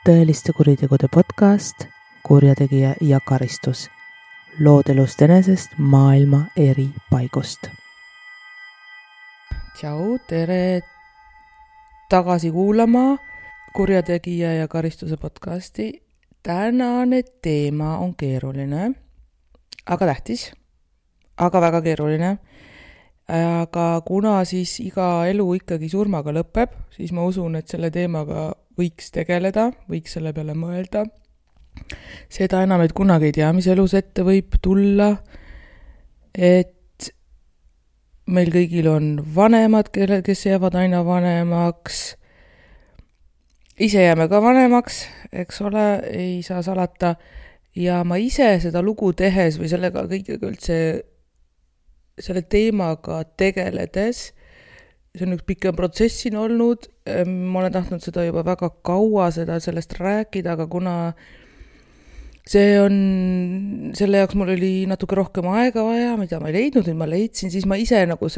tõeliste kuritegude podcast Kurjategija ja karistus. Lood elust enesest maailma eri paigust. Tšau, tere tagasi kuulama Kurjategija ja karistuse podcasti. Tänane teema on keeruline, aga tähtis, aga väga keeruline. Aga kuna siis iga elu ikkagi surmaga lõpeb, siis ma usun, et selle teemaga võiks tegeleda, võiks selle peale mõelda. Seda enam, et kunagi ei tea, mis elus ette võib tulla, et meil kõigil on vanemad, kes jäävad aina vanemaks. Ise jääme ka vanemaks, eks ole, ei saa salata. Ja ma ise seda lugu tehes või sellega kõigega üldse selle teemaga tegeledes, see on üks pikem protsess siin olnud, ma olen tahtnud seda juba väga kaua sellest rääkida, aga kuna see on, selle jaoks mul oli natuke rohkem aega vaja, mida ma ei leidnud, nüüd ma leidsin, siis ma ise nagu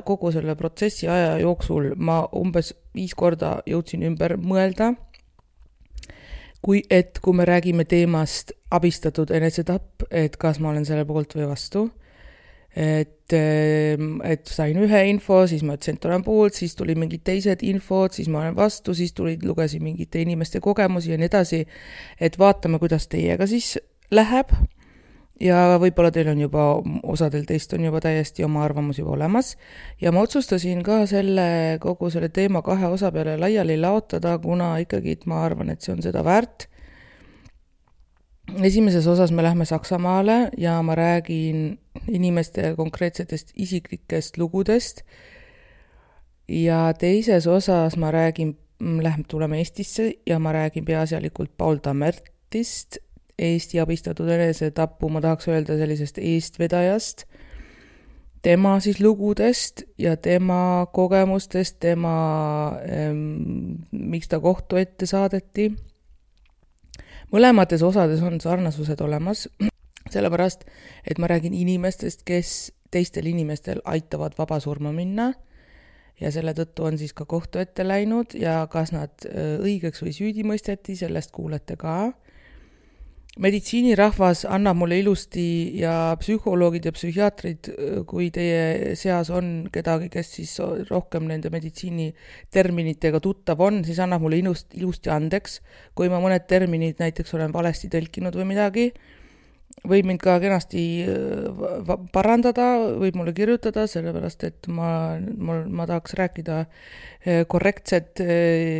kogu selle protsessi aja jooksul ma umbes 5 korda jõudsin ümber mõelda, kui me räägime teemast abistatud enesetapp, et kas ma olen selle poolt või vastu. Et sain ühe info, siis ma ütlesin, et olen poolt, siis tuli mingid teised infod, siis ma olen vastu, siis lugesin mingite inimeste kogemusi ja nii edasi, et vaatame, kuidas teiega siis läheb. Ja võib-olla teil on juba, osadel teist on juba täiesti oma arvamus juba olemas. Ja ma otsustasin ka kogu selle teema 2 osa peale laiali laotada, kuna ikkagi ma arvan, et see on seda väärt. Esimeses osas me lähme Saksamaale ja ma räägin inimeste konkreetsetest isiklikest lugudest ja teises osas ma räägin, tuleme Eestisse ja ma räägin peaasjalikult Paul Tammertist, Eesti abistatud enesetapu, ma tahaks öelda sellisest eestvedajast, tema siis lugudest ja tema kogemustest, miks ta kohtu ette saadeti. Mõlemates osades on sarnasused olemas, sellepärast, et ma räägin inimestest, kes teistel inimestel aitavad vaba surma minna ja selle tõttu on siis ka kohtu ette läinud ja kas nad õigeks või süüdi mõisteti, sellest kuulete ka. Meditsiinirahvas annab mulle ilusti ja psühholoogid ja psühhiaatrid, kui teie seas on kedagi, kes siis rohkem nende meditsiiniterminitega tuttav on, siis annab mulle ilusti andeks, kui ma mõned terminid näiteks olen valesti tõlkinud või midagi, võib mind ka kenasti parandada, võib mulle kirjutada, sellepärast et ma tahaks rääkida korrektset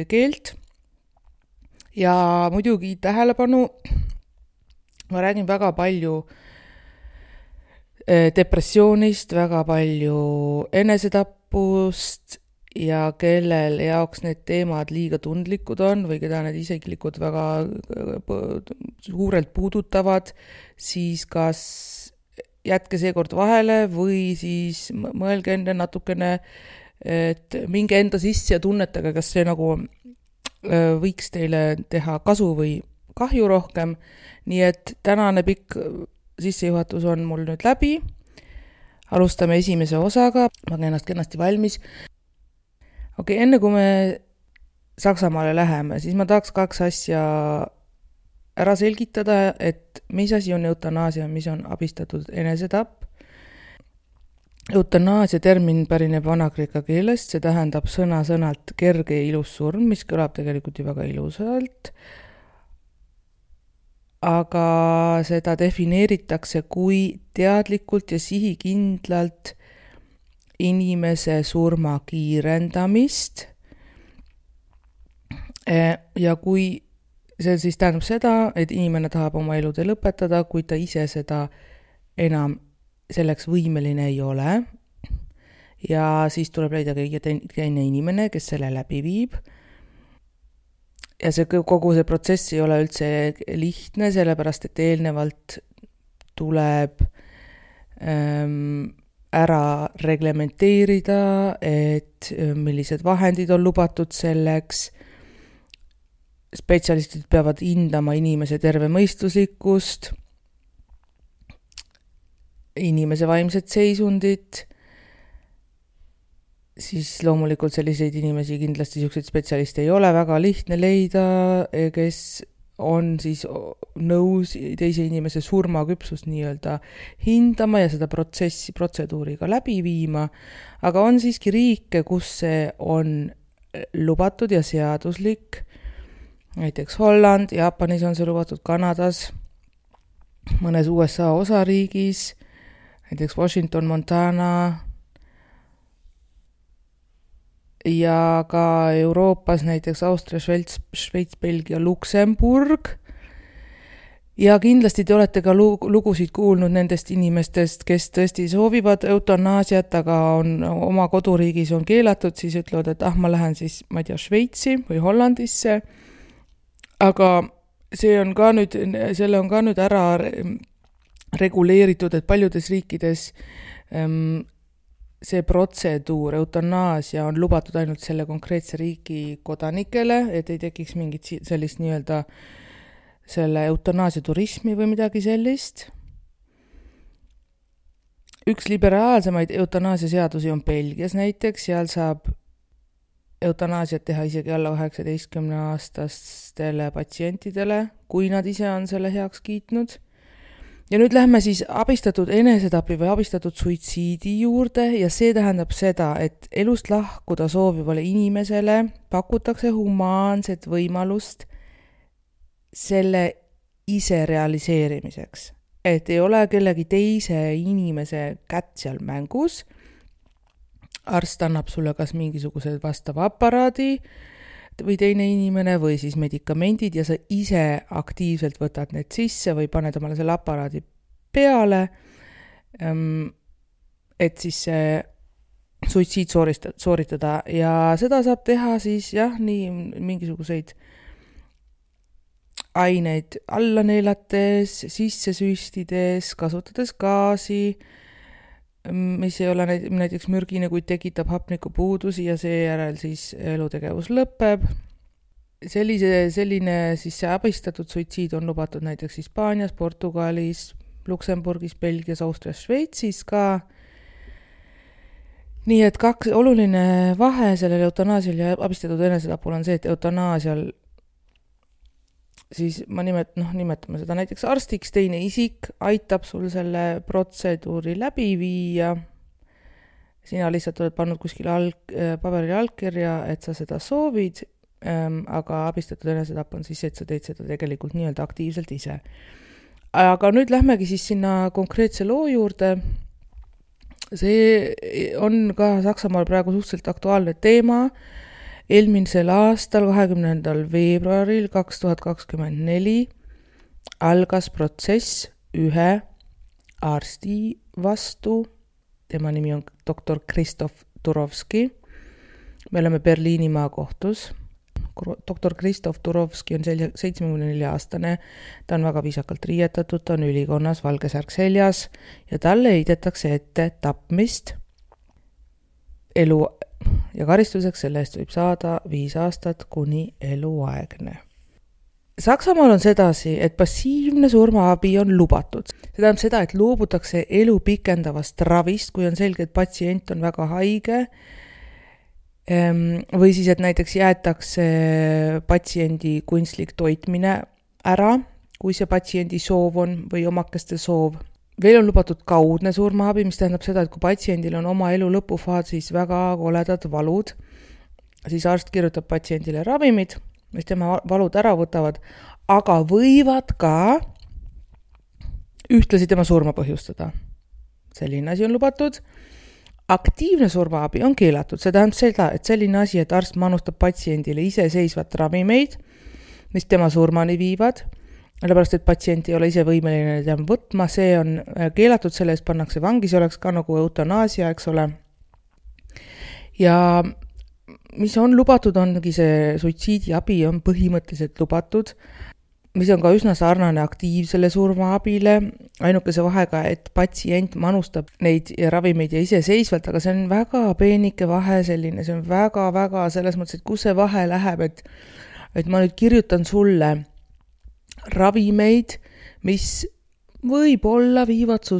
keelt ja muidugi tähelepanu. Ma räägin väga palju depressioonist, väga palju enesetapust ja kellel jaoks need teemad liiga tundlikud on või keda need isiklikud väga suurelt puudutavad, siis kas jätke seekord vahele või siis mõelge enne natukene, et minge enda sisse ja tunnetage, kas see nagu võiks teile teha kasu või kahju rohkem, nii et tänane pikk sissejuhatus on mul nüüd läbi. Alustame esimese osaga, ma olen ennast kenasti valmis. Enne kui me Saksamaale läheme, siis ma tahaks 2 asja ära selgitada, et mis asi on eutanaasia, mis on abistatud enesetapp. Eutanaasia termin pärineb vanakreeka keelest, see tähendab sõna-sõnalt kerge ja ilus surm, mis kõlab tegelikult ju väga ilusalt. Aga seda defineeritakse kui teadlikult ja sihikindlalt inimese surma kiirendamist. Ja kui see siis tähendab seda, et inimene tahab oma elude lõpetada, kui ta ise seda enam selleks võimeline ei ole. Ja siis tuleb leida teine inimene, kes selle läbi viib. Ja kogu see protsess ei ole üldse lihtne, sellepärast et eelnevalt tuleb ära reglementeerida, et millised vahendid on lubatud selleks. Spetsialistid peavad hindama inimese tervemõistuslikkust, inimese vaimset seisundit siis loomulikult selliseid inimesi, kindlasti selliseid spetsialiste ei ole väga lihtne leida, kes on siis nõus teise inimese surmaküpsust nii-öelda hindama ja seda protseduuri ka läbi viima, aga on siiski riike, kus see on lubatud ja seaduslik, näiteks Holland, Jaapanis on see lubatud, Kanadas, mõnes USA osariigis, näiteks Washington, Montana ja ka Euroopas näiteks Austria, Šveits, Belgia, Luksemburg. Ja kindlasti te olete ka lugusid kuulnud nendest inimestest, kes tõesti soovivad eutanaasiat, aga oma koduriigis on keelatud, siis ütlevad, et ma lähen siis, ma ei tea, Šveitsi või Hollandisse. Aga selle on ka nüüd ära reguleeritud, et paljudes riikides see protseduur, eutanaasia on lubatud ainult selle konkreetse riigi kodanikele, et ei tekiks mingit sellist nii-öelda selle eutanaasia turismi või midagi sellist. Üks liberaalsemaid eutanaasia seadusi on Belgias näiteks, seal saab eutanaasiat teha isegi alla 19-aastastele patsientidele, kui nad ise on selle heaks kiitnud. Ja nüüd lähme siis abistatud enesetapi või abistatud suitsiidi juurde ja see tähendab seda, et elust lahkuda soovivale inimesele pakutakse humaanset võimalust selle ise realiseerimiseks. Et ei ole kellegi teise inimese kätt seal mängus. Arst annab sulle kas mingisuguse vastava aparaadi või teine inimene või siis medikamendid ja sa ise aktiivselt võtad need sisse või paned omale selle aparaadi peale, et siis see suitsiid sooritada ja seda saab teha siis nii mingisuguseid aineid alla neelates, sisse süstides, kasutades gaasi, mis ei ole näiteks mürgine, kuid tekitab hapnikupuudusi ja seejärel siis elutegevus lõpeb. Selline siis see abistatud suitsiid on lubatud näiteks Hispaanias, Portugalis, Luksemburgis, Belgias, Austrias, Šveitsis ka. Nii et oluline vahe sellel eutanaasial ja abistatud enesetapul on see, et eutanaasial siis nimetame seda näiteks arstiks, teine isik aitab sul selle protseduuri läbi viia. Sina lihtsalt oled pannud kuskil paberile allkirja, et sa seda soovid, aga abistatud enesetapp on siis, et sa teed seda tegelikult nii-öelda aktiivselt ise. Aga nüüd lähmegi siis sinna konkreetse loo juurde. See on ka Saksamaal praegu suhteliselt aktuaalne teema. Eelmisel aastal 20. veebruaril 2024 algas protsess ühe arsti vastu. Tema nimi on doktor Krzysztof Turovski. Me oleme Berliini maakohtus. Doktor Krzysztof Turovski on 74-aastane. Ta on väga viisakalt riietatud, ta on ülikonnas, valge särk seljas ja talle heidetakse ette tapmist elu ja karistuseks selle eest võib saada 5 aastat kuni eluaegne. Saksamaal on sedasi, et passiivne surmaabi on lubatud. See tähendab seda, et loobutakse elu pikendavast ravist, kui on selge, et patsient on väga haige, või siis, et näiteks jäetakse patsiendi kunstlik toitmine ära, kui see patsiendi soov on või omakeste soov. Veel on lubatud kaudne surmaabi, mis tähendab seda, et kui patsiendil on oma elu lõpufaasis väga koledad valud, siis arst kirjutab patsiendile ravimid, mis tema valud ära võtavad, aga võivad ka ühtlasi tema surma põhjustada. Selline asi on lubatud. Aktiivne surmaabi on keelatud. See tähendab seda, et selline asi, et arst manustab patsiendile iseseisvat ravimeid, mis tema surmani viivad, sellepärast, et patsient ei ole ise võimeline neid võtma, see on keelatud, selle eest pannakse vangi, see oleks ka nagu eutanaasia, eks ole. Ja mis on lubatud, ongi see suitsiidiabi on põhimõtteliselt lubatud, mis on ka üsna sarnane aktiivsele surmaabile, ainukese vahega, et patsient manustab neid ravimeid ja iseseisvalt, aga see on väga peenike vahe selline, see on väga-väga selles mõttes, et kus see vahe läheb, et ma nüüd kirjutan sulle ravimeid, mis võib-olla viivad su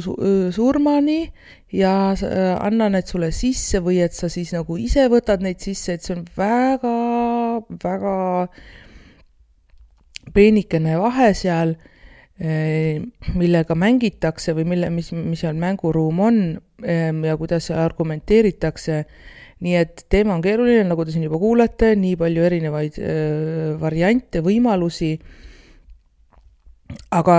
surmani ja anna need sulle sisse või et sa siis nagu ise võtad neid sisse, et see on väga, väga peenikene vahe seal, millega mängitakse või mis seal mänguruum on ja kuidas seal argumenteeritakse. Nii et teema on keeruline, nagu te siin juba kuulete, nii palju erinevaid variante, võimalusi. Aga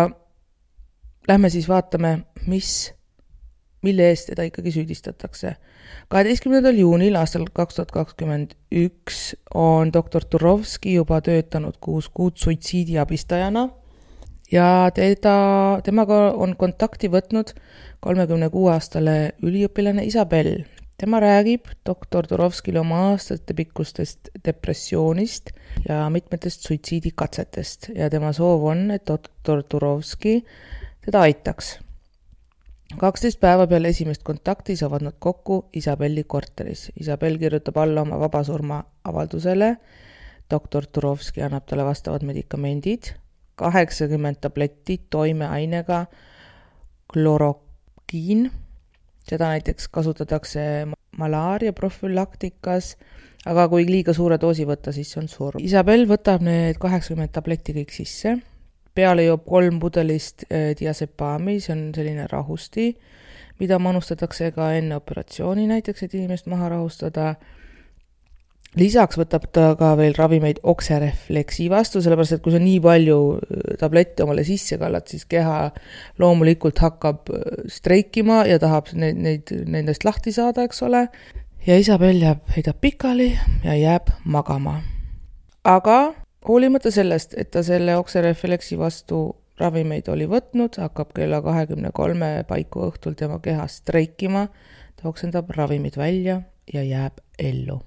lähme siis vaatame, mille eest teda ikkagi süüdistatakse. 12. juunil aastal 2021 on doktor Turovski juba töötanud 6 kuud suitsiidiabistajana ja temaga on kontakti võtnud 36-aastane üliõpilane Isabel. Tema räägib doktor Turovskile oma aastate pikkustest depressioonist ja mitmetest suitsiidikatsetest ja tema soov on, et doktor Turovski teda aitaks. 12 päeva peale esimest kontakti saavad nad kokku Isabelli korteris. Isabel kirjutab alla oma vabasurma avaldusele. Doktor Turovski annab talle vastavad medikamendid, 80 tabletti toimeainega klorokiin. Seda näiteks kasutatakse malaaria profülaktikas, aga kui liiga suure doosi võtta, siis on surm. Isabel võtab need 80 tabletti kõik sisse. Peale joob 3 pudelist diasepaami, see on selline rahusti, mida manustatakse ka enne operatsiooni näiteks, et inimest maha rahustada. Lisaks võtab ta ka veel ravimeid okserefleksi vastu, sellepärast et kui sa nii palju tablette omale sisse kallad, siis keha loomulikult hakkab streikima ja tahab nendest lahti saada, eks ole. Ja Isabel heidab pikali ja jääb magama. Aga hoolimata sellest, et ta selle okserefleksi vastu ravimeid oli võtnud, hakkab kella 23 paiku õhtul tema keha streikima, ta oksendab ravimid välja ja jääb ellu.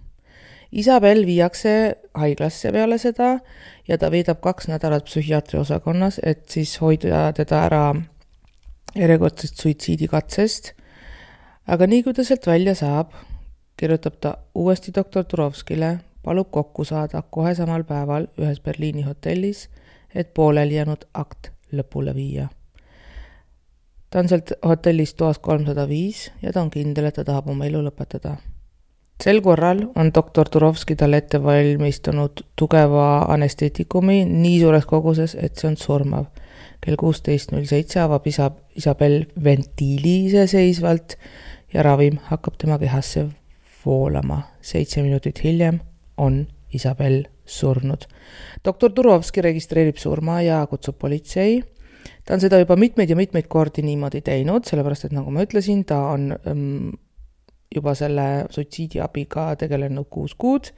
Isabel viiakse haiglasse peale seda ja ta veedab 2 nädalat psühhiaatri osakonnas, et siis hoida teda ära järjekordsest suitsiidikatsest. Aga nii kui ta sealt välja saab, kirjutab ta uuesti doktor Turovskile, palub kokku saada kohe samal päeval ühes Berliini hotellis, et pooleli jäänud akt lõpule viia. Ta on sealt hotellist toas 305 ja ta on kindel, et ta tahab oma elu lõpetada. Sel korral on doktor Turovski talle ette valmistunud tugeva anesteetikumi nii suures koguses, et see on surmav. Kell 16.07 avab Isabel ventiili iseseisvalt ja ravim hakkab tema kehasse voolama. 7 minutit hiljem on Isabel surnud. Doktor Turovski registreerib surma ja kutsub politsei. Ta on seda juba mitmeid kordi niimoodi teinud, sellepärast et nagu ma ütlesin, ta on juba selle suitsiidiabiga tegelenud 6 kuud.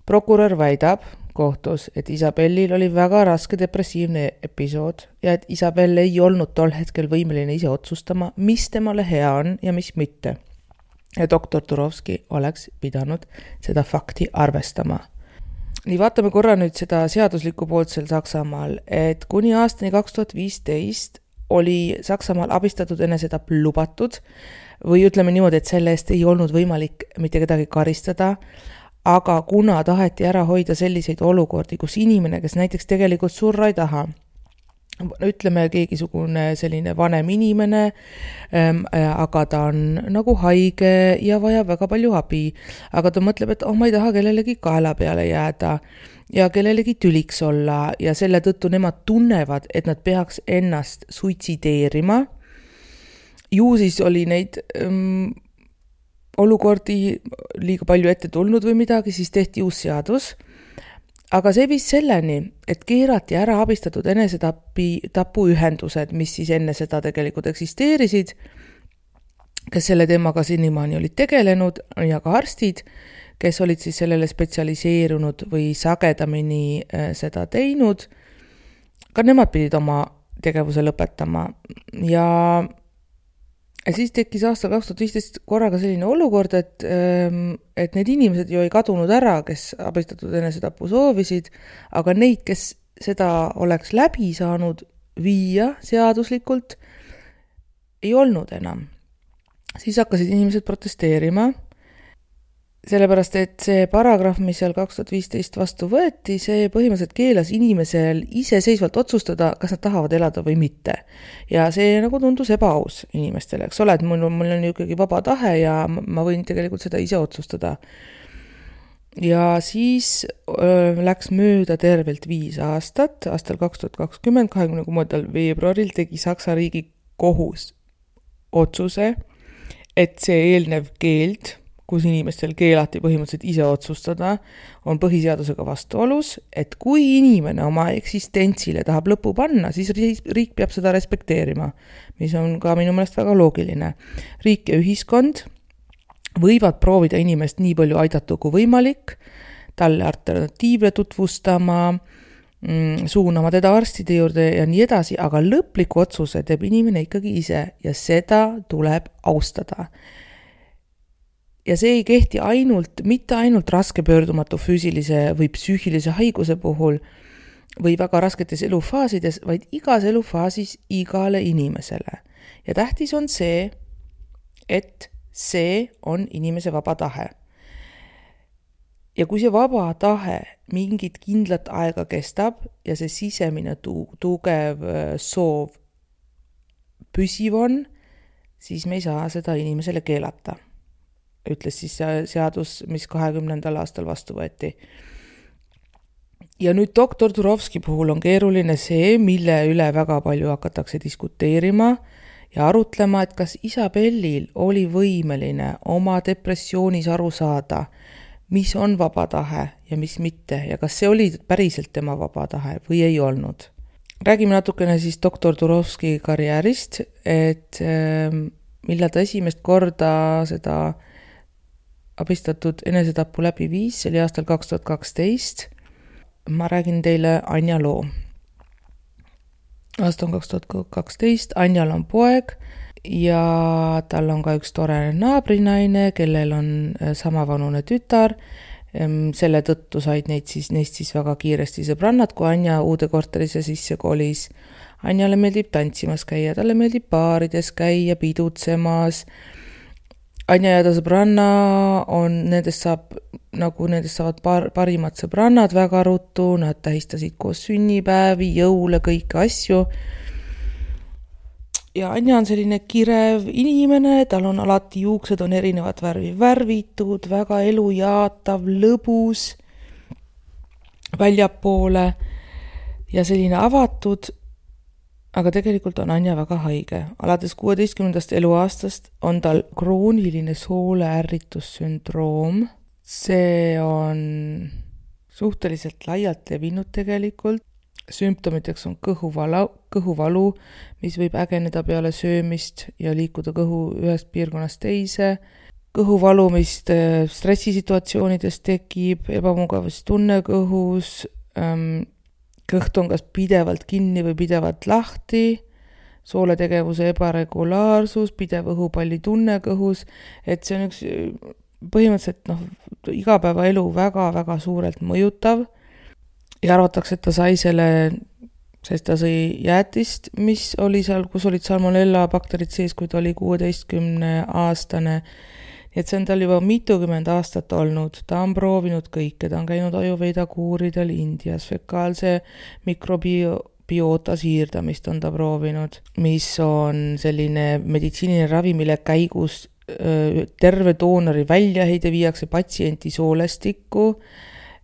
Prokurör väidab kohtus, et Isabellil oli väga raske depressiivne episood ja et Isabel ei olnud tol hetkel võimeline ise otsustama, mis temale hea on ja mis mitte. Ja doktor Turovski oleks pidanud seda fakti arvestama. Nii vaatame korra nüüd seda seaduslikku poolt seal Saksamaal, et kuni aastani 2015 oli Saksamaal abistatud enesetapp lubatud või ütleme niimoodi, et selle eest ei olnud võimalik mitte kedagi karistada, aga kuna taheti ära hoida selliseid olukordi, kus inimene, kes näiteks tegelikult surra ei taha, ütleme keegisugune selline vanem inimene, aga ta on nagu haige ja vajab väga palju abi, aga ta mõtleb, et ma ei taha kellelegi kaela peale jääda ja kellelegi tüliks olla ja selle tõttu nemad tunnevad, et nad peaks ennast suitsideerima. Ju siis oli neid olukordi liiga palju ette tulnud või midagi, siis tehti uus seadus. Aga see viis selleni, et keerati ära abistatud enesetapuühendused, mis siis enne seda tegelikult eksisteerisid, kes selle teemaga senimaani olid tegelenud ja ka arstid, kes olid siis sellele spetsialiseerunud või sagedamini seda teinud. Ka nemad pidid oma tegevuse lõpetama ja siis tekkis aastal 2015 korraga selline olukord, et need inimesed ju ei kadunud ära, kes abistatud enesetapu soovisid, aga neid, kes seda oleks läbi saanud viia seaduslikult, ei olnud enam. Siis hakkasid inimesed protesteerima sellepärast, et see paragrahv, mis seal 2015 vastu võeti, see põhimõtteliselt keelas inimesel iseseisvalt otsustada, kas nad tahavad elada või mitte. Ja see nagu tundus ebaaus inimestele, eks ole, et mul on ju ikkagi vaba tahe ja ma võin tegelikult seda ise otsustada. Ja siis läks mööda tervelt 5 aastat, aastal 2020, 26. veebruaril tegi Saksa riigi kohus otsuse, et see eelnev keeld, kus inimestel keelati põhimõtteliselt ise otsustada, on põhiseadusega vastuolus, et kui inimene oma eksistentsile tahab lõpu panna, siis riik peab seda respekteerima, mis on ka minu meelest väga loogiline. Riik ja ühiskond võivad proovida inimest nii palju aidata kui võimalik, talle alternatiivle tutvustama, suunama teda arstide juurde ja nii edasi, aga lõpliku otsuse teeb inimene ikkagi ise ja seda tuleb austada. Ja see ei kehti mitte ainult raske pöördumatu füüsilise või psüühilise haiguse puhul või väga rasketes elufaasides, vaid igas elufaasis igale inimesele. Ja tähtis on see, et see on inimese vaba tahe. Ja kui see vaba tahe mingit kindlat aega kestab ja see sisemine tugev soov püsiv on, siis me ei saa seda inimesele keelata. Ütles siis seadus, mis 20. aastal vastu võeti. Ja nüüd doktor Turovski puhul on keeruline see, mille üle väga palju hakatakse diskuteerima ja arutlema, et kas Isabellil oli võimeline oma depressioonis aru saada, mis on vaba tahe ja mis mitte ja kas see oli päriselt tema vaba tahe või ei olnud. Räägime natukene siis doktor Turovski karjäärist, et millal ta esimest korda seda abistatud enesetapu läbi viis, see oli aastal 2012. Ma räägin teile Anja loo. Aasta on 2012, Anjal on poeg ja tal on ka üks tore naabrinaine, kellel on samavanune tütar. Selle tõttu said neist siis väga kiiresti sõbrannad, kui Anja uude korterisse sisse kolis. Anjale meeldib tantsimas käia, talle meeldib baarides käia, pidutsemas. Anja ja ta sõbranna nendest saavad parimad sõbrannad väga ruttu, nad tähistasid koos sünnipäevi, jõule, kõiki asju. Ja Anja on selline kirev inimene, tal on alati juuksed on erinevat värvi värvitud, väga elujaatav, lõbus, väljapoole ja selline avatud. Aga tegelikult on Anja väga haige. Alates 16. eluaastast on tal krooniline sooleärritussündroom. See on suhteliselt laialt levinud tegelikult. Sümptomiteks on kõhuvalu, mis võib ägeneda peale söömist ja liikuda kõhu ühest piirkonnast teise. Kõhuvalu, mis stressisituatsioonides tekib, ebamugavustunne kõhus, kõht on kas pidevalt kinni või pidevalt lahti, sooletegevuse ebaregulaarsus, pidev õhupalli tunne kõhus, et see on üks põhimõtteliselt igapäevaelu väga-väga suurelt mõjutav ja arvatakse, et ta sai selle, sest ta sõi jäätist, mis oli seal, kus olid salmonella bakterid sees, kui ta oli 16-aastane. Et see on tal juba mitukümmend aastat olnud, ta on proovinud kõike, ta on käinud ajuveida kuuridel Indias, fekaalse mikrobiota siirdamist on ta proovinud, mis on selline meditsiiniline ravi, mille käigus terve doonori väljaheide viiakse patsienti soolestikku,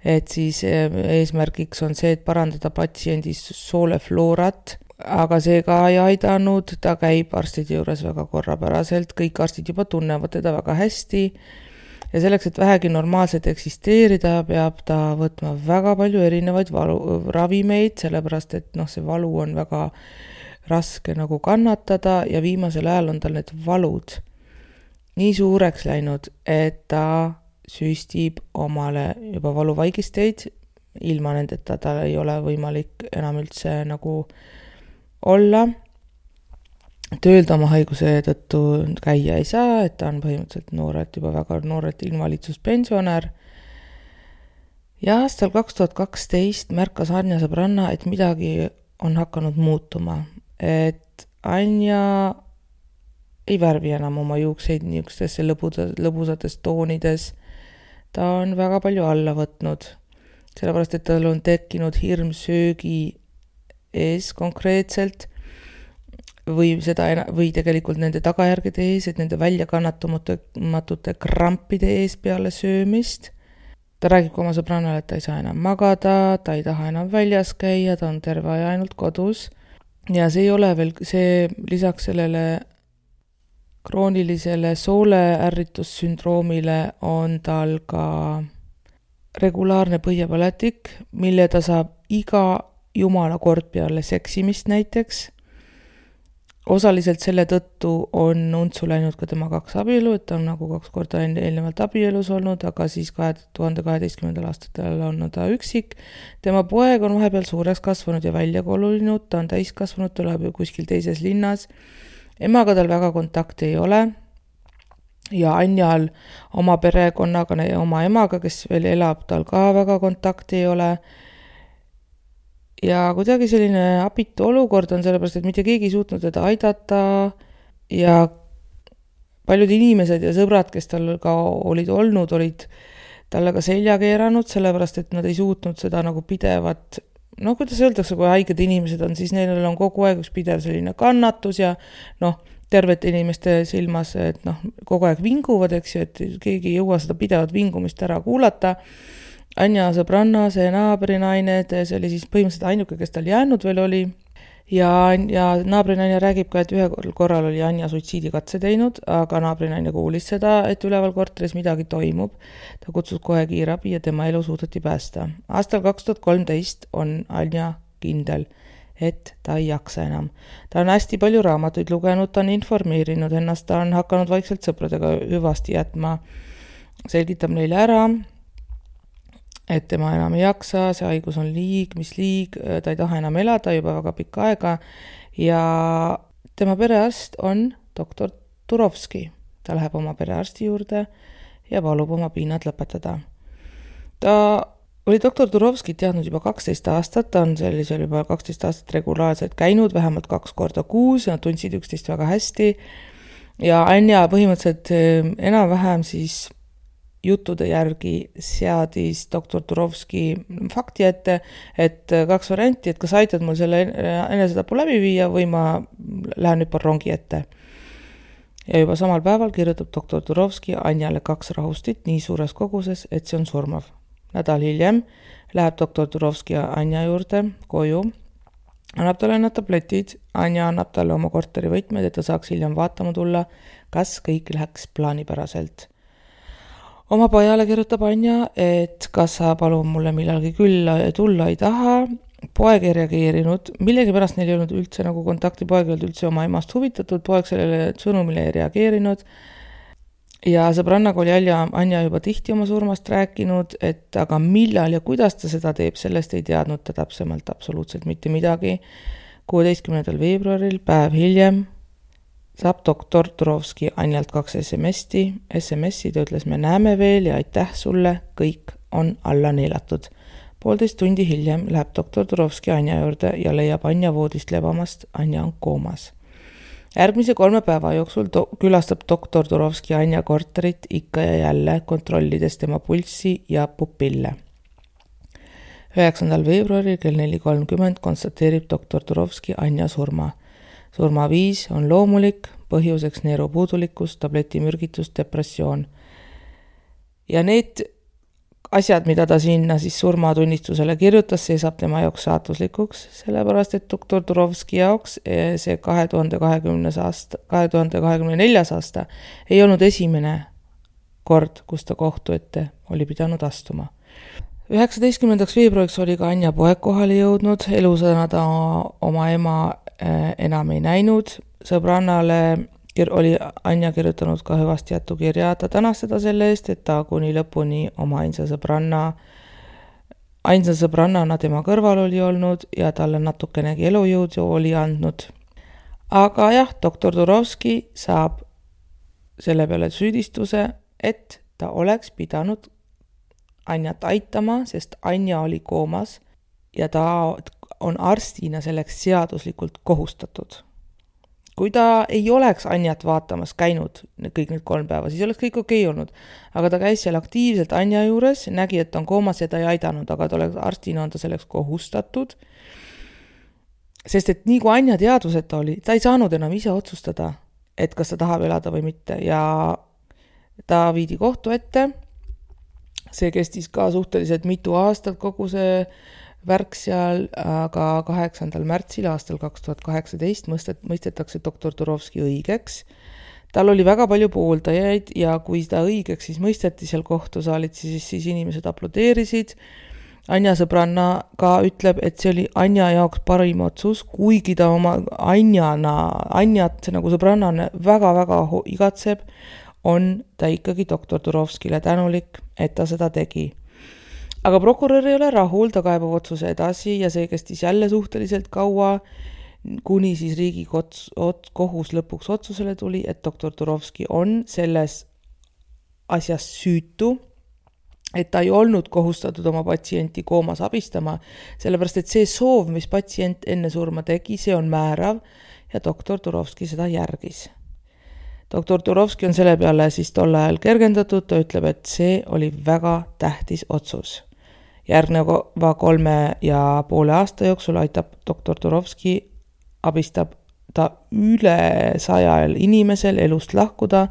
et siis eesmärgiks on see, et parandada patsiendis soolefloorat, aga see ka ei aidanud, ta käib arstide juures väga korrapäraselt, kõik arstid juba tunnevad teda väga hästi ja selleks, et vähegi normaalselt eksisteerida, peab ta võtma väga palju erinevaid ravimeid, sellepärast, et see valu on väga raske nagu kannatada ja viimasel ajal on tal need valud nii suureks läinud, et ta süstib omale juba valuvaigisteid, ilma nendeta tal ei ole võimalik enam üldse nagu olla. Tööl oma haiguse tõttu käia ei saa, et ta on põhimõtteliselt juba väga noorelt invaliidsuspensionär. Ja aastal 2012 märkas Anja sõbranna, et midagi on hakanud muutuma. Et Anja ei värvi enam oma juukseid niisugustesse lõbusates toonides, ta on väga palju alla võtnud, sellepärast et tal on tekkinud hirm söögi ees konkreetselt või tegelikult nende tagajärgede ees, et nende väljakannatamatute krampide ees peale söömist. Ta räägib ka oma sõbrannale, et ta ei saa enam magada, ta ei taha enam väljas käia, ta on terve aja ainult kodus. Ja see ei ole veel, see lisaks sellele kroonilisele sooleärritussündroomile on tal ka regulaarne põhjapõletik, mille ta saab iga jumala kord peale seksimist näiteks. Osaliselt selle tõttu on untsu läinud ka tema 2 abielu, et ta on nagu 2 korda eelnevalt abielus olnud, aga siis 2012. aastatel on ta üksik. Tema poeg on vahepeal suureks kasvanud ja välja kolunud, ta on täiskasvanud, ta elab ju kuskil teises linnas. Emaga tal väga kontakti ei ole ja Anjal oma perekonnaga ja oma emaga, kes veel elab, tal ka väga kontakti ei ole. Ja kuidagi selline abitu olukord on sellepärast, et mitte keegi ei suutnud teda aidata ja paljud inimesed ja sõbrad, kes tal ka olid talle ka selja keeranud, sellepärast, et nad ei suutnud seda nagu pidevat, kuidas öeldakse, kui haiged inimesed on, siis neil on kogu aeg üks pidev selline kannatus ja tervete inimeste silmas, et kogu aeg vinguvad, eks ju, et keegi ei jõua seda pidevat vingumist ära kuulata. Anja sõbranna, see naabrinaine, see oli siis põhimõtteliselt ainuke, kes tal jäänud veel oli. Ja naabrinaine räägib ka, et ühel korral oli Anja suitsiidikatse teinud, aga naabrinaine kuulis seda, et üleval korteris midagi toimub. Ta kutsus kohe kiirabi ja tema elu suudeti päästa. Aastal 2013 on Anja kindel, et ta ei jaksa enam. Ta on hästi palju raamatuid lugenud, ta on informeerinud ennast, ta on hakanud vaikselt sõpradega hüvasti jätma, selgitab neile ära, et tema enam ei jaksa, see haigus on liig, ta ei taha enam elada juba väga pikka aega ja tema perearst on doktor Turovski. Ta läheb oma perearsti juurde ja palub oma piinad lõpetada. Ta oli doktor Turovskit teadnud juba 12 aastat, ta on sellisel juba 12 aastat regulaarselt käinud, vähemalt 2 korda kuus ja nad tundsid üksteist väga hästi ja Anja põhimõtteliselt enam-vähem siis juttude järgi seadis doktor Turovski fakti ette, et 2 varianti, et kas aitad mul selle enesetapu läbi viia või ma lähen nüüd rongi ette. Ja juba samal päeval kirjutab doktor Turovski Anjale 2 rahustit nii suures koguses, et see on surmav. Nädal hiljem läheb doktor Turovski Anja juurde koju, annab talle need tabletid, Anja annab talle oma korteri võtmed, et ta saaks hiljem vaatama tulla, kas kõik läheks plaanipäraselt. Oma pojale kirjutab Anja, et kas sa palun mulle millalgi külla tulla ei taha. Poeg ei reageerinud, millegi pärast neil ei olnud üldse nagu kontakti, poeg ei olnud üldse oma emast huvitatud, poeg sellele sõnumile ei reageerinud. Ja sõbrannaga oli Anja juba tihti oma surmast rääkinud, et aga millal ja kuidas ta seda teeb, sellest ei teadnud ta täpsemalt absoluutselt mitte midagi. 16. veebruaril, päev hiljem, saab doktor Turovski Anjalt 2 SMS-i, ta ütles, me näeme veel ja aitäh sulle, kõik on alla neelatud. 1,5 tundi hiljem läheb doktor Turovski Anja juurde ja leiab Anja voodist lebamast, Anja on koomas. Järgmise 3 päeva jooksul külastab doktor Turovski Anja korterit ikka ja jälle, kontrollides tema pulssi ja pupille. 9. veebruaril kell 4:30 konstateerib doktor Turovski Anja surma. Surmaviis on loomulik, põhjuseks neerupuudulikkus, tabletimürgitus, depressioon. Ja need asjad, mida ta sinna siis surmatunnistusele kirjutas, see saab tema jaoks saatuslikuks, sellepärast et doktor Turovski jaoks see 2024. aasta ei olnud esimene kord, kus ta kohtu ette oli pidanud astuma. 19. veebruariks oli ka Anja poeg kohale jõudnud, elusana ta oma ema enam ei näinud, sõbrannale oli Anja kirjutanud ka hüvasti jätukirja, ta tänas seda selle eest, et ta kuni lõpuni oma ainsa sõbrannana tema kõrval oli olnud ja talle natukenegi elujõud oli andnud. Aga jah, doktor Turovski saab selle peale süüdistuse, et ta oleks pidanud Anjat aitama, sest Anja oli koomas ja ta on arstina selleks seaduslikult kohustatud. kui ta ei oleks Anjat vaatamas käinud kõik need 3 päeva, siis oleks kõik okei olnud. Aga ta käis seal aktiivselt Anja juures, nägi, et ta on koomas ja ta ei aidanud, aga arstina on ta selleks kohustatud. Sest et nii kui Anja teadvuseta oli, ta ei saanud enam ise otsustada, et kas ta tahab elada või mitte. Ja ta viidi kohtu ette. See kestis ka suhteliselt mitu aastat kogu see värk seal, aga 8. märtsil aastal 2018 mõistetakse doktor Turovski õigeks. Tal oli väga palju pooldajaid ja kui ta õigeks siis mõisteti seal kohtusaalit, siis inimesed aplodeerisid. Anja sõbranna ka ütleb, et see oli Anja jaoks parim otsus, kuigi ta oma Anjat nagu sõbrannane väga-väga igatseb, on ta ikkagi doktor Turovskile tänulik, et ta seda tegi. Aga prokurör ei ole rahul, ta kaebab otsuse edasi ja see kestis jälle suhteliselt kaua, kuni siis Riigikohus lõpuks otsusele tuli, et doktor Turovski on selles asjas süütu, et ta ei olnud kohustatud oma patsienti koomas abistama, sellepärast et see soov, mis patsient enne surma tegi, see on määrav ja doktor Turovski seda järgis. Doktor Turovski on selle peale siis tol ajal kergendatud, ta ütleb, et see oli väga tähtis otsus. Järgneva 3,5 aasta jooksul aitab doktor Turovski, abistab ta üle 100 inimesel elust lahkuda,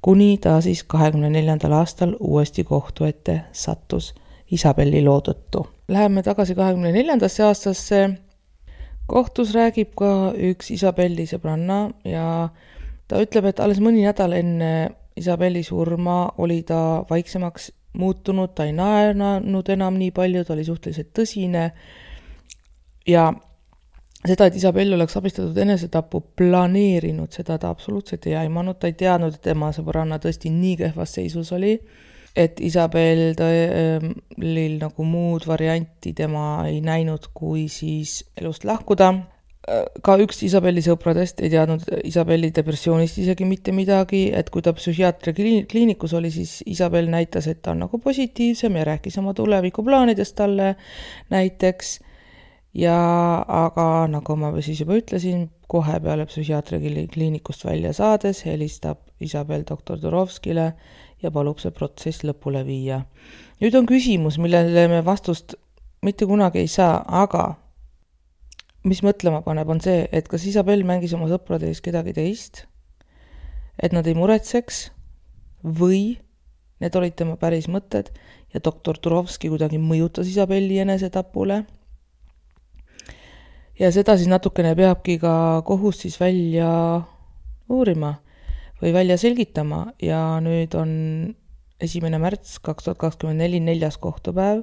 kuni ta siis 24. aastal uuesti kohtu ette sattus Isabelli loo tõttu. Läheme tagasi 24. aastasse. Kohtus räägib ka üks Isabelli sõbranna ja ta ütleb, et alles mõni nädal enne Isabelli surma oli ta vaiksemaks muutunud, ta ei naernud enam nii palju, ta oli suhteliselt tõsine ja seda, et Isabell oleks abistatud enesetapu planeerinud, seda ta absoluutselt ei aimanud, ta ei teadnud, et tema sõbranna tõesti nii kehvas seisus oli, et Isabellil nagu muud varianti tema ei näinud, kui siis elust lahkuda. Ka üks Isabelli sõpradest ei teadnud Isabelli depressioonist isegi mitte midagi, et kui ta psühhiaatri kliinikus oli, siis Isabell näitas, et ta on nagu positiivsem ja rääkis oma tulevikuplaanidest talle näiteks. Aga nagu ma siis juba ütlesin, kohe peale psühhiaatri kliinikust välja saades helistab Isabell doktor Turovskile ja palub see protsess lõpule viia. Nüüd on küsimus, millele me vastust mitte kunagi ei saa, aga mis mõtlema paneb, on see, et kas Isabell mängis oma sõprade ees kedagi teist, et nad ei muretseks või need olid tema päris mõtted ja doktor Turovski kuidagi mõjutas Isabelli enesetapule. Ja seda siis natukene peabki ka kohus siis välja uurima või välja selgitama ja nüüd on 1. märts 2024 4. kohtupäev.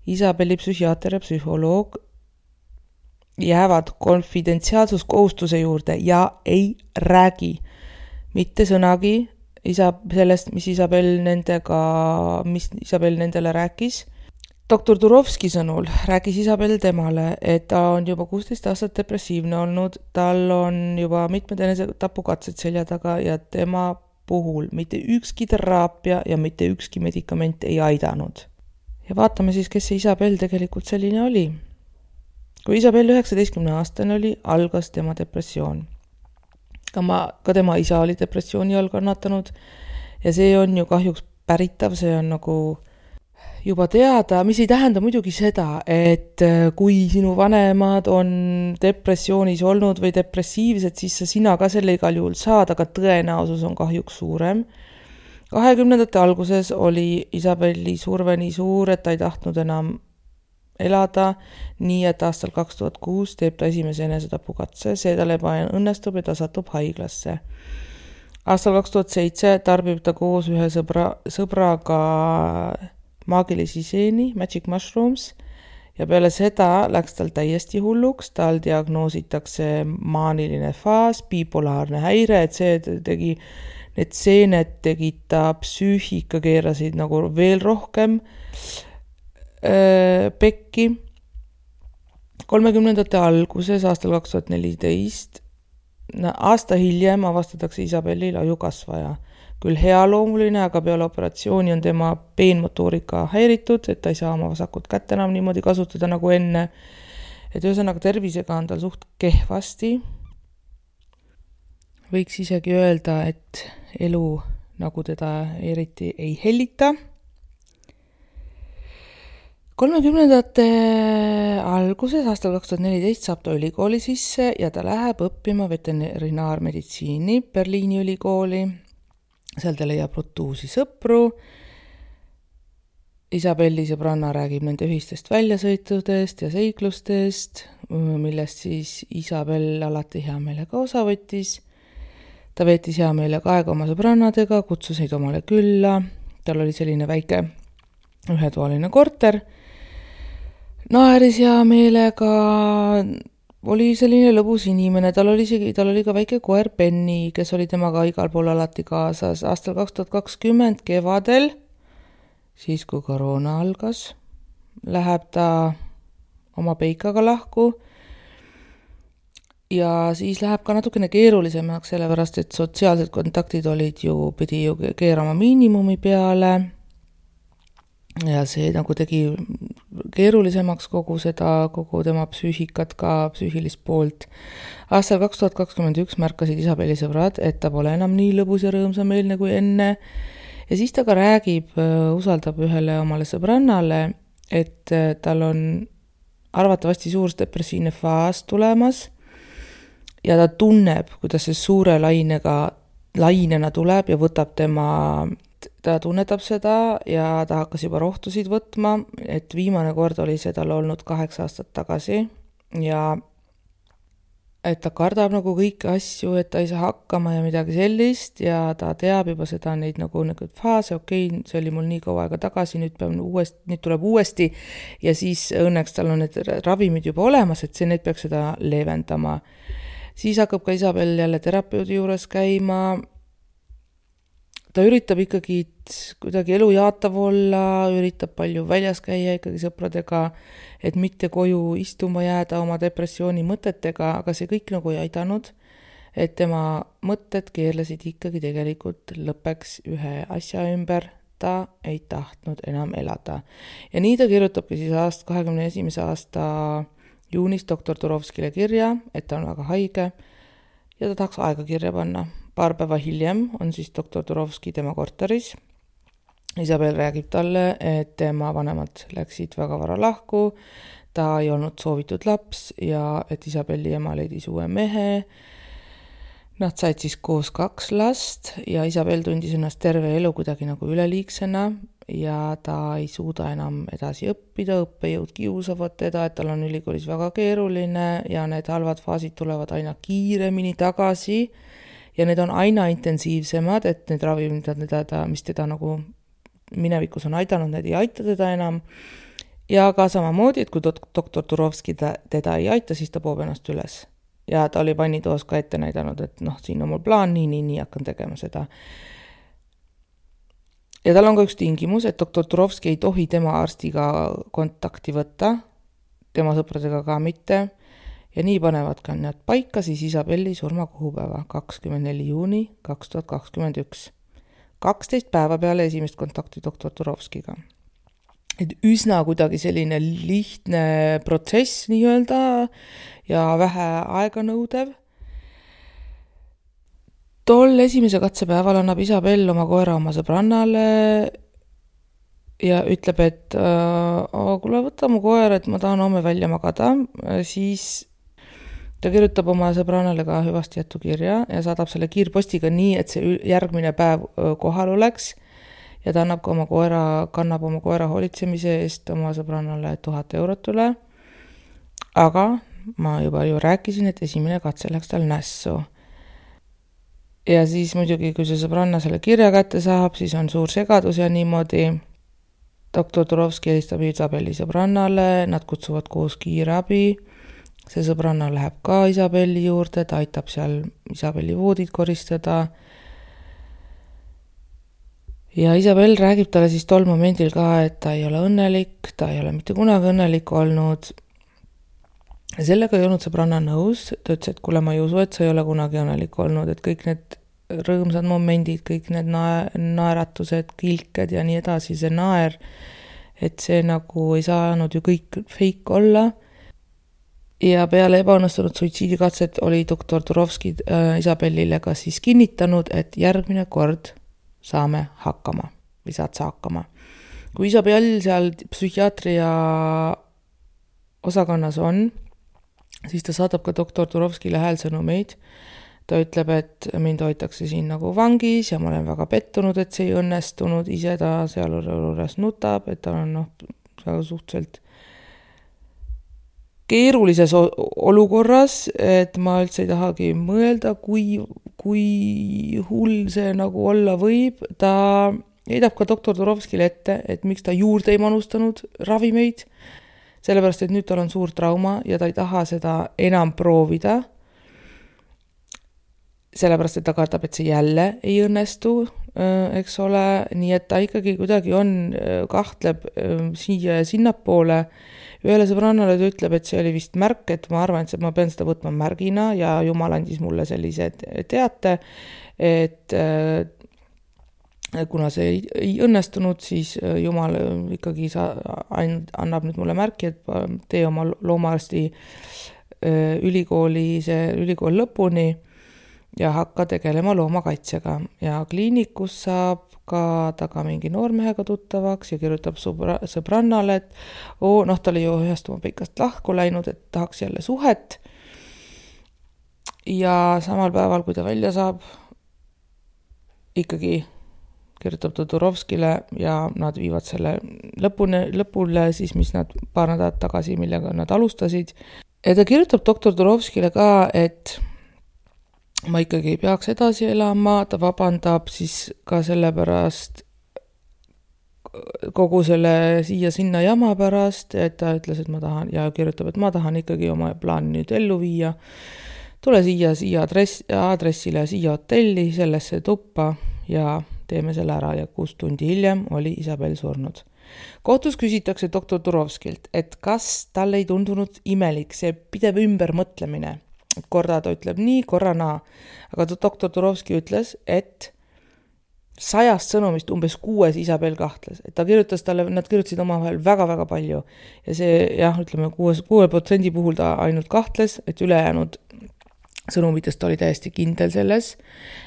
Isabelli psühhiaater ja psühholoog jäävad konfidentsiaalsuskohustuse juurde ja ei räägi mitte sõnagi sellest, mis Isabell nendele rääkis. Doktor Turovski sõnul rääkis Isabell temale, et ta on juba 16 aastat depressiivne olnud, tal on juba mitmed enesetapukatsed selja taga ja tema puhul mitte ükski teraapia ja mitte ükski medikament ei aidanud. Ja vaatame siis, kes see Isabell tegelikult selline oli. Kui Isabell 19-aastane oli, algas tema depressioon. Ka tema isa oli depressiooni all kannatanud ja see on ju kahjuks päritav, see on nagu juba teada, mis ei tähenda muidugi seda, et kui sinu vanemad on depressioonis olnud või depressiivsed, siis sina ka selle igal juhul saad, aga tõenäosus on kahjuks suurem. 20. alguses oli Isabelli surve nii suur, et ta ei tahtnud enam elada, nii et aastal 2006 teeb ta esimese enesetapukatse, see tal õnnestub ja ta satub haiglasse. Aastal 2007 tarbib ta koos ühe sõbraga maagilisi seeni, Magic Mushrooms, ja peale seda läks tal täiesti hulluks, tal diagnoositakse maaniline faas, bipolaarne häire, et need seened tegid ta psüühika, keerasid nagu veel rohkem pekki. 30. alguses aastal 2014, aasta hiljem avastatakse Isabellil ajukasvaja. Küll healoomuline, aga peale operatsiooni on tema peenmotoorika häiritud, et ta ei saa oma vasakut kätt enam niimoodi kasutada nagu enne. Et ühesõnaga tervisega on tal suht kehvasti. võiks isegi öelda, et elu nagu teda eriti ei hellita. 30ndate alguses, aastal 2014 saab ta ülikooli sisse ja ta läheb õppima veterinaarmeditsiini Berliini ülikooli. Seal ta leiab uusi sõpru. Isabelli sõbranna räägib nende ühistest väljasõitudest ja seiklustest, millest siis Isabel alati hea meelega osa võttis. Ta veetis hea meelega aega oma sõbrannadega, kutsus neid omale külla. Tal oli selline väike ühetoaline korter. Naeris hea meelega, oli selline lõbus inimene, tal oli ka väike koer Penny, kes oli temaga igal pool alati kaasas. Aastal 2020 kevadel, siis kui koroona algas, läheb ta oma peikaga lahku ja siis läheb ka natukene keerulisemaks, sellepärast et sotsiaalsed kontaktid pidi keerama miinimumi peale ja see nagu tegi keerulisemaks kogu tema psüühikat, ka psüühilist poolt. Aastal 2021 märkasid Isabelli sõbrad, et ta pole enam nii lõbus ja rõõmsameelne kui enne. Ja siis ta ka usaldab ühele omale sõbrannale, et tal on arvatavasti suur depressiivne faas tulemas ja ta tunneb, kuidas see suure lainena tuleb ja võtab ta tunnetab seda ja ta hakkas juba rohtusid võtma, et viimane kord oli see tal olnud 8 aastat tagasi ja et ta kardab nagu kõiki asju, et ta ei saa hakkama ja midagi sellist ja ta teab juba seda neid nagu faase, okei, see oli mul nii kaua aega tagasi, nüüd tuleb uuesti ja siis õnneks tal on need ravimid juba olemas, et need peaks seda leevendama. Siis hakkab ka Isabel jälle terapeudi juures käima. Ta üritab ikkagi kuidagi elu jaatav olla, üritab palju väljas käia ikkagi sõpradega, et mitte koju istuma jääda oma depressiooni mõtetega, aga see kõik nagu ei aidanud, et tema mõtted keerlesid ikkagi tegelikult lõppeks ühe asja ümber, ta ei tahtnud enam elada. Ja nii ta kirjutabki siis 2021. aasta juunis doktor Turovskile kirja, et ta on väga haige ja ta tahaks aega kirja panna. Paar päeva hiljem on siis doktor Turovski tema korteris. Isabel räägib talle, et tema vanemad läksid väga vara lahku, ta ei olnud soovitud laps ja et Isabelli ema leidis uue mehe. Nad said siis koos 2 last ja Isabel tundis ennast terve elu kuidagi nagu üleliigsena ja ta ei suuda enam edasi õppida, õppejõud kiusavad teda, et tal on ülikoolis väga keeruline ja need halvad faasid tulevad aina kiiremini tagasi. Ja need on aina intensiivsemad, et need ravimid, mis teda nagu minevikus on aidanud, need ei aita teda enam. Ja ka samamoodi, et kui doktor Turovski teda ei aita, siis ta poob ennast üles. Ja ta oli vannitoos ka ette näidanud, et siin on mul plaan, nii hakkan tegema seda. Ja tal on ka üks tingimus, et doktor Turovski ei tohi tema arstiga kontakti võtta, tema sõpradega ka mitte. Ja nii panevad ka nad paika siis Isabelli surmakuupäeva 24. juuni 2021. 12 päeva peale esimest kontakti doktor Turovskiga. Et üsna kuidagi selline lihtne protsess nii-öelda ja vähe aega nõudev. Tol esimese katsepäeval annab Isabel oma koera oma sõbrannale ja ütleb, et kuule, võta mu koer, et ma tahan homme välja magada, siis ta kirjutab oma sõbrannale ka hüvasti jättu kirja ja saadab selle kiirpostiga nii, et see järgmine päev kohal oleks ja ta kannab oma koera hoolitsemise eest oma sõbrannale 1000 eurot üle. Aga ma juba rääkisin, et esimene katse läks tal nässu. Ja siis muidugi, kui see sõbranna selle kirja kätte saab, siis on suur segadus ja niimoodi. Doktor Turovski helistab Isabelli sõbrannale, nad kutsuvad koos kiirabi. See sõbranna läheb ka Isabelli juurde, ta aitab seal Isabelli voodid koristada. Ja Isabel räägib talle siis tol momendil ka, et ta ei ole õnnelik, ta ei ole mitte kunagi õnnelik olnud. Ja sellega ei olnud sõbranna nõus, ta ütles, et kuule, ma ei usu, et sa ei ole kunagi õnnelik olnud, et kõik need rõõmsad momendid, kõik need naeratused, kilked ja nii edasi, see naer, et see nagu ei saanud ju kõik fake olla. ja peale ebaõnnestunud suitsiidikatset oli doktor Turovski Isabellile ka siis kinnitanud, et järgmine kord saame hakkama või saad sa hakkama. Kui Isabell seal psühhiaatria osakonnas on, siis ta saadab ka doktor Turovskile häälsõnumeid. Ta ütleb, et mind hoitakse siin nagu vangis ja ma olen väga pettunud, et see ei õnnestunud. Ise ta seal juures nutab, et ta on suhteliselt keerulises olukorras, et ma üldse ei tahagi mõelda, kui hull see nagu olla võib. Ta heidab ka doktor Turovskile ette, et miks ta juurde ei manustanud ravimeid, sellepärast, et nüüd tal on suur trauma ja ta ei taha seda enam proovida, sellepärast, et ta kardab, et see jälle ei õnnestu, eks ole, nii et ta ikkagi kuidagi kahtleb siia ja sinnapoole. Ühele sõbrannale ta ütleb, et see oli vist märk, et ma arvan, et ma pean seda võtma märgina ja Jumal andis mulle sellise teate, et kuna see ei õnnestunud, siis Jumal ikkagi annab nüüd mulle märki, et tee oma loomaarsti ülikool lõpuni ja hakka tegelema loomakaitsega. Ja kliinikus saab ka taga mingi noormehega tuttavaks ja kirjutab sõbrannale, et ta oli ju ühest oma pikast lahku läinud, et tahaks jälle suhet. Ja samal päeval, kui ta välja saab, ikkagi kirjutab ta Turovskile ja nad viivad selle lõpule siis, mis nad paar nädalat tagasi, millega nad alustasid. Ja ta kirjutab doktor Turovskile ka, et ma ikkagi ei peaks edasi elama, ta vabandab siis ka selle pärast kogu selle siia-sinna jama pärast, et ta ütles, et ma tahan ja kirjutab, et ma tahan ikkagi oma plaani nüüd ellu viia. Tule siia aadressile, siia hotelli, sellesse tuppa ja teeme selle ära ja 6 tundi hiljem oli Isabell surnud. Kohtus küsitakse doktor Turovskilt, et kas tal ei tundunud imelik see pidev ümbermõtlemine. Korra ta ütleb nii, korra naa. Aga doktor Turovski ütles, et 100 sõnumist umbes 6 Isabell kahtles. Et nad kirjutasid omavahel väga-väga palju. Ja see, 6% puhul ta ainult kahtles, et ülejäänud sõnumitest oli täiesti kindel selles.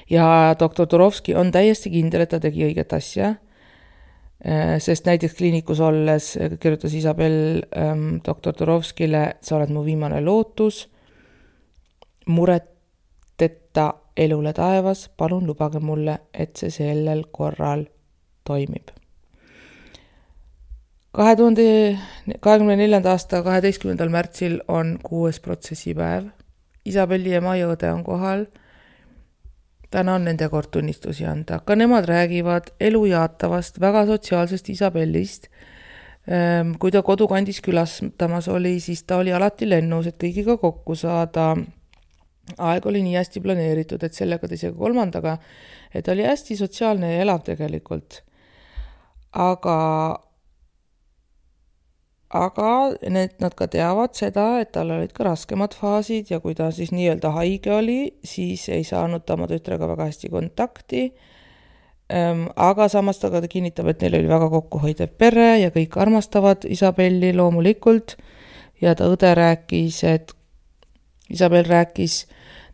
Ja doktor Turovski on täiesti kindel, et ta tegi õiget asja. Sest näiteks kliinikus olles kirjutas Isabell doktor Turovskile, sa oled mu viimane lootus, mureteta elule taevas, palun lubage mulle, et see sellel korral toimib. 2024. aasta 12. märtsil on 6. protsessipäev. Isabelli ema ja õde on kohal. Täna on nende kord tunnistusi anda. Ka nemad räägivad elu jaatavast, väga sotsiaalsest Isabellist. Kui ta kodukandis külastamas oli, siis ta oli alati lennus, et kõigiga kokku saada. Aeg oli nii hästi planeeritud, et sellega teisega kolmandaga, et oli hästi sotsiaalne ja elav tegelikult. Aga nad ka teavad seda, et tal olid ka raskemad faasid ja kui ta siis nii-öelda haige oli, siis ei saanud ta oma tütrega väga hästi kontakti. Aga samas ta kinnitab, et neil oli väga kokkuhoidev pere ja kõik armastavad Isabelli loomulikult. Ja ta õde rääkis, et Isabell rääkis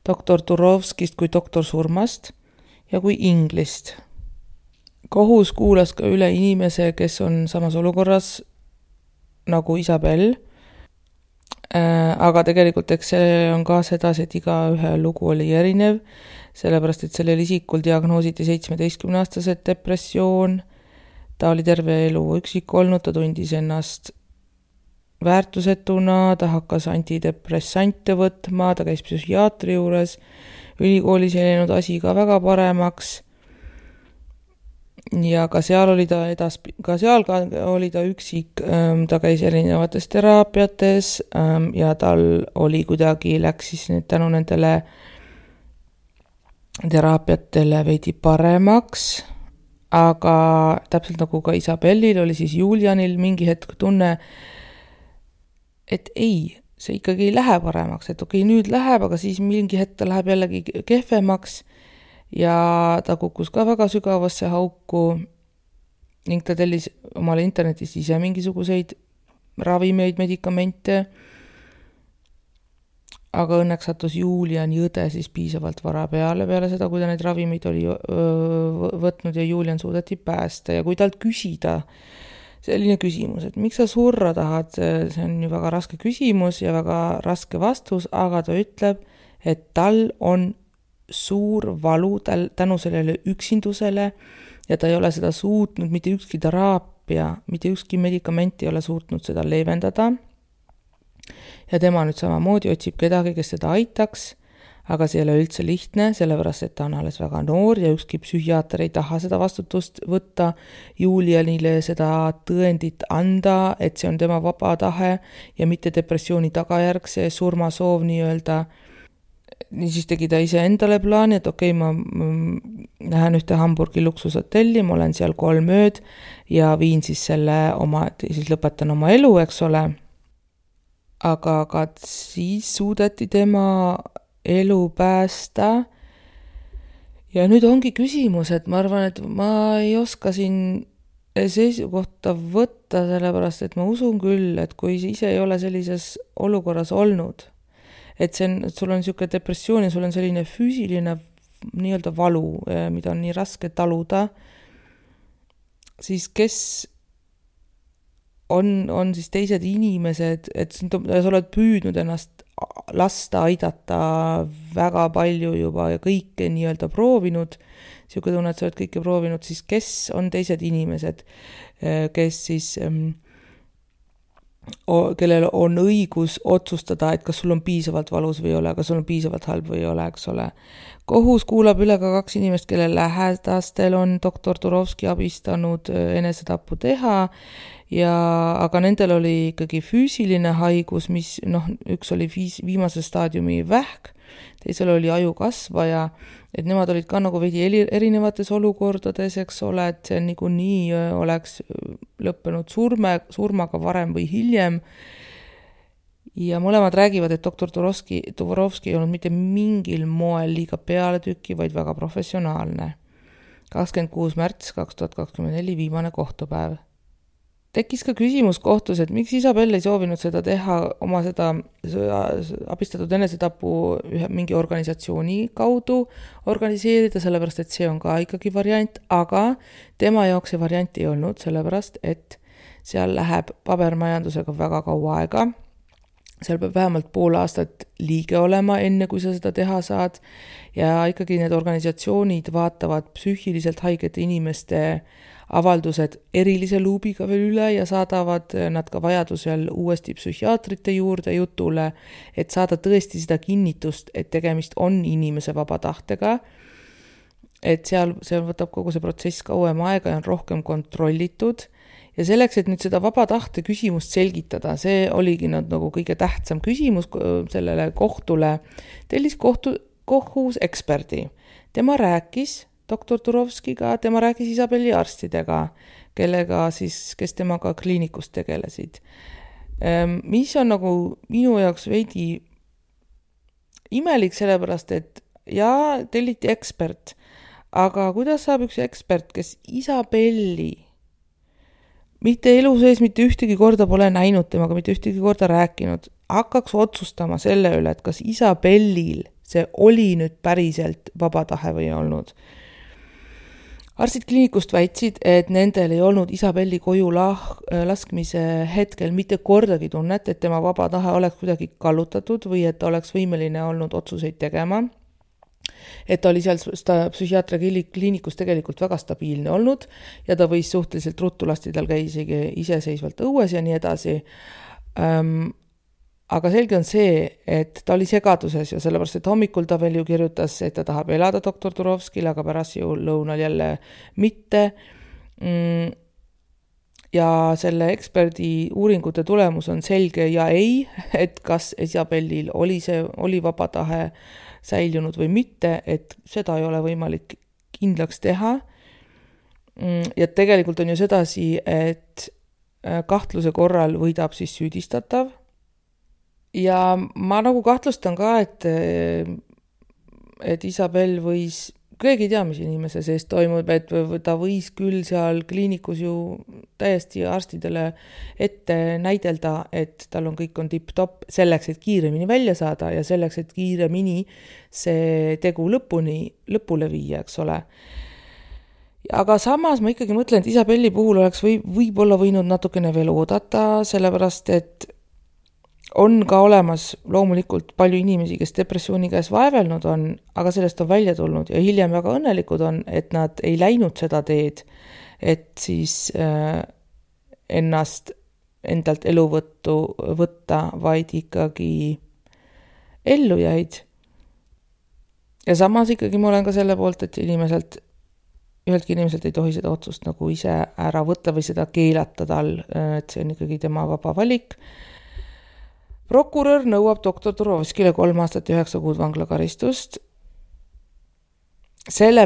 doktor Turovskist kui doktor surmast ja kui inglist. Kohus kuulas ka üle inimese, kes on samas olukorras nagu Isabell, aga tegelikult eks see on ka sedasi, et iga ühe lugu oli erinev, sellepärast et sellel isikul diagnoositi 17-aastased depressioon, ta oli terve elu üksik olnud, ta tundis ennast väärtusetuna, ta hakkas antidepressante võtma, ta käis psühhiaatri juures, ülikoolis ei läinud asi ka väga paremaks ja ka seal oli ta üksik, ta käis erinevates teraapiates ja tal oli kuidagi läks siis tänu nendele teraapiatele veidi paremaks, aga täpselt nagu ka Isabellil oli siis Julianil mingi hetk tunne, et ei, see ikkagi ei lähe paremaks, et okei, nüüd läheb, aga siis mingi hetk ta läheb jällegi kehvemaks ja ta kukkus ka väga sügavasse hauku ning ta tellis omale internetist ise mingisuguseid ravimeid, medikamente aga õnneks sattus Juliani õde siis piisavalt vara peale seda, kui ta neid ravimeid oli võtnud ja Julian suudeti päästa. Ja kui talt küsida selline küsimus, et miks sa surra tahad, see on ju väga raske küsimus ja väga raske vastus, aga ta ütleb, et tal on suur valu tänu sellele üksindusele ja ta ei ole seda suutnud, mitte ükski teraapia, mitte ükski medikament ei ole suutnud seda leevendada. Ja tema nüüd samamoodi otsib kedagi, kes seda aitaks, aga see ei ole üldse lihtne, sellepärast, et ta on alles väga noor ja ükski psühhiaater ei taha seda vastutust võtta, Julianile seda tõendit anda, et see on tema vaba tahe ja mitte depressiooni tagajärg, see surmasoov nii-öelda. Niisiis tegi ta ise endale plaani, et okei, ma lähen ühte Hamburgi luksushotelli, ma olen seal 3 ööd ja viin siis siis lõpetan oma elu, eks ole. Aga siis suudeti tema elu päästa ja nüüd ongi küsimus, et ma arvan, et ma ei oska siin seisukohta võtta, sellepärast, et ma usun küll, et kui ise ei ole sellises olukorras olnud, et sul on niisugune depressioon ja sul on selline füüsiline nii-öelda valu, mida on nii raske taluda, siis kes on siis teised inimesed, et sa oled püüdnud ennast lasta aidata väga palju juba ja kõike nii-öelda proovinud, siuke tunne, et sa oled kõike proovinud, siis kes on teised inimesed, kes siis, kellel on õigus otsustada, et kas sul on piisavalt valus või ei ole, kas sul on piisavalt halb või ei ole, eks ole. Kohus kuulab üle ka 2 inimest, kelle lähedastel on doktor Turovski abistanud enesetappu teha, aga nendel oli ikkagi füüsiline haigus, mis üks oli viimase staadiumi vähk, teisel oli ajukasvaja, et nemad olid ka nagu veidi erinevates olukordades, eks ole, et see niikuinii oleks lõppenud surmaga varem või hiljem. Ja mõlemad räägivad, et doktor Turovski ei olnud mitte mingil moel liiga pealetükki, vaid väga professionaalne. 26. märts 2024 viimane kohtupäev. Tekkis ka küsimus kohtus, et miks Isabel ei soovinud seda teha oma seda abistatud enesetapu mingi organisatsiooni kaudu organiseerida, sellepärast, et see on ka ikkagi variant, aga tema jaoks see variant ei olnud, sellepärast, et seal läheb pabermajandusega väga kaua aega. Seal peab vähemalt pool aastat liige olema, enne kui sa seda teha saad ja ikkagi need organisatsioonid vaatavad psüühiliselt haigete inimeste avaldused erilise luubiga veel üle ja saadavad nad ka vajadusel uuesti psühhiaatrite juurde jutule, et saada tõesti seda kinnitust, et tegemist on inimese vaba tahtega. Et see võtab kogu see protsess kauem aega ja on rohkem kontrollitud. Ja selleks, et nüüd seda vaba tahte küsimust selgitada, see oligi nagu kõige tähtsam küsimus sellele kohtule, tellis kohus eksperdi. Tema rääkis doktor Turovskiga, tema rääkis Isabeli arstidega, kes temaga kliinikus tegelesid. Mis on nagu minu jaoks veidi imelik, sellepärast, et telliti ekspert, aga kuidas saab üks ekspert, kes Isabelli mitte elu sees mitte ühtegi korda pole näinud temaga, mitte ühtegi korda rääkinud, hakkaks otsustama selle üle, et kas Isabellil see oli nüüd päriselt vaba tahe või olnud. Arstid kliinikust väitsid, et nendel ei olnud Isabelli koju laskmise hetkel mitte kordagi tunnet, et tema vaba tahe oleks kuidagi kallutatud või et ta oleks võimeline olnud otsuseid tegema. Et ta oli seal psühhiaatria kliinikus tegelikult väga stabiilne olnud ja ta võis suhteliselt ruttu lasti tal käia isegi iseseisvalt õues ja nii edasi. Aga selge on see, et ta oli segaduses ja sellepärast, et hommikul ta veel ju kirjutas, et ta tahab elada doktor Turovskile, aga pärast ju lõunal jälle mitte. Ja selle eksperdi uuringute tulemus on selge ja ei, et kas Isabellil oli vaba tahe säilunud või mitte, et seda ei ole võimalik kindlaks teha. Ja tegelikult on ju sedasi, et kahtluse korral võidab siis süüdistatav. Ja ma nagu kahtlustan ka, et Isabel võis keegi ei tea, mis inimese sees toimub, et ta võis küll seal kliinikus ju täiesti arstidele ette näidelda, et tal kõik on tipp-topp selleks, et kiiremini välja saada ja selleks, et kiiremini see tegu lõpule viia, eks ole. Aga samas ma ikkagi mõtlen, et Isabelli puhul oleks võib-olla võinud natukene veel oodata, sellepärast et on ka olemas loomulikult palju inimesi, kes depressiooni käes vaevelnud on, aga sellest on välja tulnud ja hiljem väga õnnelikud on, et nad ei läinud seda teed, et siis endalt elu võtta, vaid ikkagi ellu jäid. Ja samas ikkagi ma olen ka selle poolt, et üheltki inimeselt ei tohi seda otsust nagu ise ära võtta või seda keelata tal, et see on ikkagi tema vaba valik. Prokurör nõuab doktor Turovskile 3 aastat ja 9 kuud vanglakaristust. Selle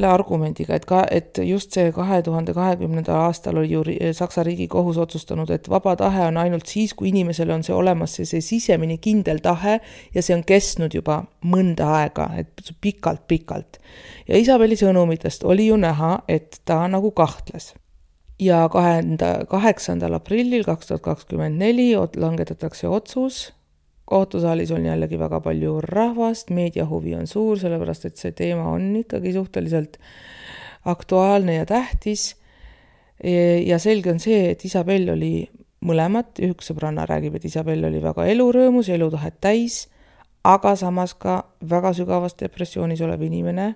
argumendiga, et just see 2020. aastal oli ju Saksa Riigikohus otsustanud, et vaba tahe on ainult siis, kui inimesel on see olemas, see sisemine kindel tahe ja see on kestnud juba mõnda aega, et pikalt. Ja Isabelli sõnumitest oli ju näha, et ta nagu kahtles. Ja 8. aprillil 2024 langetatakse otsus. Kohtusaalis on jällegi väga palju rahvast, meediahuvi on suur, sellepärast et see teema on ikkagi suhteliselt aktuaalne ja tähtis. Ja selge on see, et Isabell oli mõlemat, üks sõbranna räägib, et Isabell oli väga elurõõmus, elutahet täis, aga samas ka väga sügavas depressioonis olev inimene.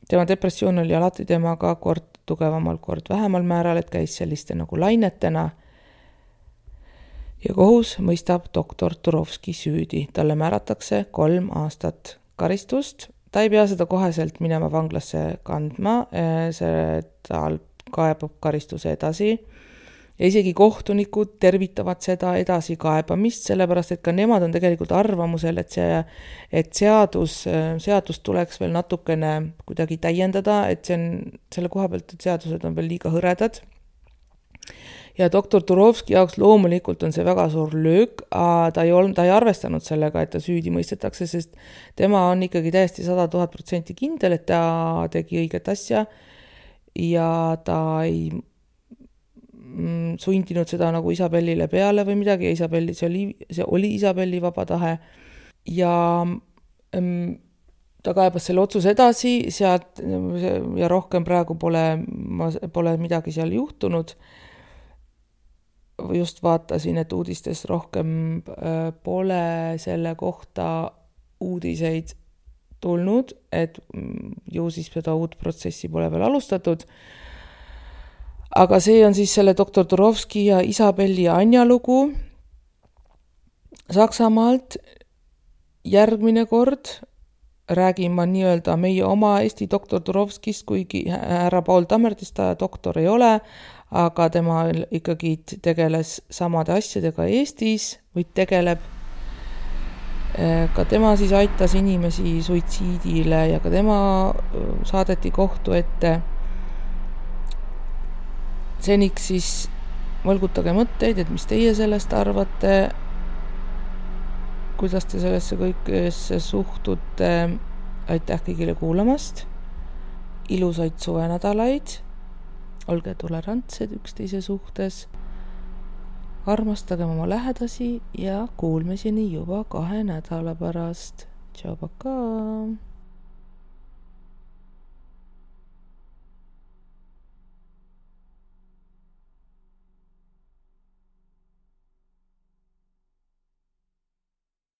Tema depressioon oli alati temaga kord tugevamal, kord vähemal määral, et käis selliste nagu lainetena. Ja kohus mõistab doktor Turovski süüdi. Talle määratakse 3 aastat karistust. Ta ei pea seda koheselt minema vanglasse kandma, tal kaebab karistuse edasi. Ja isegi kohtunikud tervitavad seda edasi kaebamist, sellepärast et ka nemad on tegelikult arvamusel, et seadust tuleks veel natukene kuidagi täiendada, et selle koha pealt, et seadused on veel liiga hõredad. Ja doktor Turovski jaoks loomulikult on see väga suur löök, ta ei arvestanud sellega, et ta süüdi mõistetakse, sest tema on ikkagi täiesti 100,000% kindel, et ta tegi õiget asja ja ta ei sundinud seda nagu Isabellile peale või midagi, see oli Isabelli vaba tahe ja ta kaebas selle otsuse edasi sealt ja rohkem praegu pole midagi seal juhtunud. Just vaatasin, et uudistes rohkem pole selle kohta uudiseid tulnud, et ju siis seda uut protsessi pole veel alustatud. Aga see on siis selle doktor Turovski ja Isabelli ja Anja lugu Saksamaalt. Järgmine kord räägin ma nii-öelda meie oma Eesti doktor Turovskist, kuigi härra Paul Tammertist ta doktor ei ole, aga tema ikkagi tegeles samade asjadega Eestis või tegeleb. Ka tema siis aitas inimesi suitsiidile ja ka tema saadeti kohtu ette. Seniks siis mõlgutage mõtteid, et mis teie sellest arvate, kuidas te sellesse kõikesse suhtute. Aitäh kõigile kuulamast. Ilusaid suvenädalaid. Olge tolerantsed üksteise suhtes. Armastagem oma lähedasi ja kuulmiseni juba 2 nädala pärast. Tšau, pakaa!